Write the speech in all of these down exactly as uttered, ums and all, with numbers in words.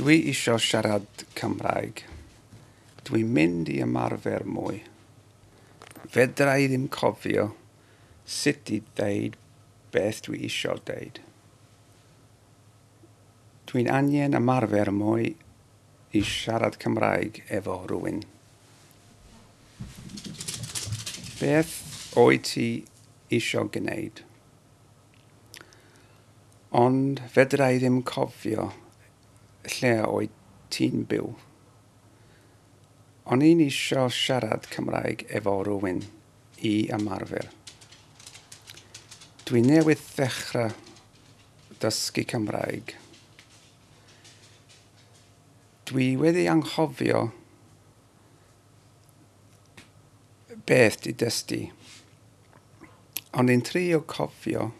Dwi isio siarad Cymraeg. Dwi'n mynd i ymarfer mwy. Fedra i ddim cofio sut i ddeud beth dwi isio deud. Dwi'n angen ymarfer mwy i siarad Cymraeg efo rhywun. Beth wyt ti isio gwneud? Ond fedra i ddim cofio lle wyt ti'n byw. O'n i'n isio siarad Cymraeg efo rhywun i ymarfer. Dwi newydd ddechrau dysgu Cymraeg. Dwi wedi anghofio beth di dysgu. O'n i'n trio cofio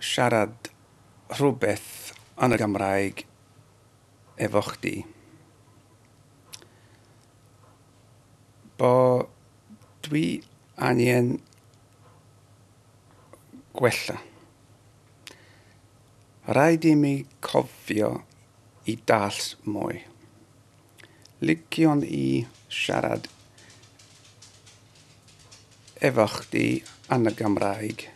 siarad rhywbeth yn y Gymraeg efo chdi. Bo dwi angen gwella. Rhaid i mi cofio i dallt mwy. Liciwn i siarad efo chdi yn y Gymraeg.